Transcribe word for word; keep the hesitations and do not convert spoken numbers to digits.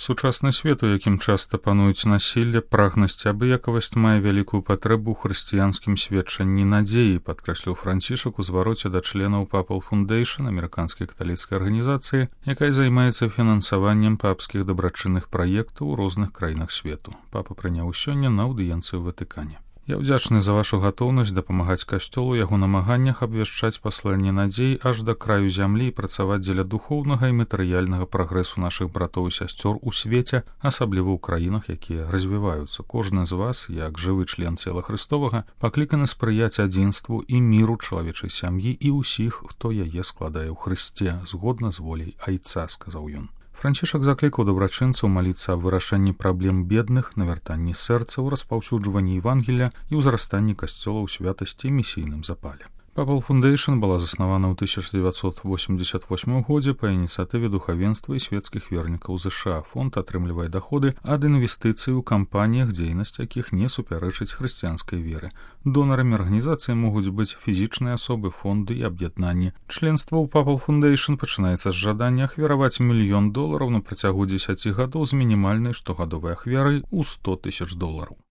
Сучасны свет, у якім часта пануюць насілле, прагнасць, абыякавасць мае вялікую патрэбу ў хрысціянскім сведчанні надзеі, падкрэсліў Францішак у звароце да членаў Papal Foundation, амерыканскай каталіцкай арганізацыі, якая займаецца фінансаваннем папскіх дабрачынных праектаў у розных краінах свету. Папа прыняў сёння на аўдыенцыю ў Ватыкане. Я ўдзячны за вашу гатоўнасць дапамагаць касцёлу яго намаганнях абвяшчаць пасланне надзей аж да краю зямлі і працаваць дзеля духоўнага і матэрыяльнага прагрэсу нашых братоў і сясцёр у свеце, асабліва ў краінах, якія развіваюцца. Кожны з вас, як жывы член цела Христовага, пакліканы спрыяць адзінству і міру чалавечай сям'і і ўсіх, хто яе складае ў Хрысце, згодна з воляй Айца, сказаў ён. Францішак заклікаў дабрачынцаў маліцца аб вырашэнні праблем бедных, навяртанні сэрцаў, распаўсюджванні Евангелія і ўзрастанні касцёла ў святасці і місійным запале. Papal Foundation была заснавана ў тысяча дзевяцьсот восемьдесят восьмым годзе па ініцыятыве духавенства і светскіх вернікаў ЗША. Фонд атрымлівае даходы ад інвестыцый у кампаніях, дзейнасць якіх не супярэчыць хрысціянскай веры. Донарамі арганізацыі могуць быць фізічныя асобы, фонды і аб'яднанні. Членства ў Papal Foundation пачынаецца з жадання ахвяраваць мільён долараў на працягу дзесяці гадоў з мінімальнай штогадовай ахвярай у сто тысяч долараў.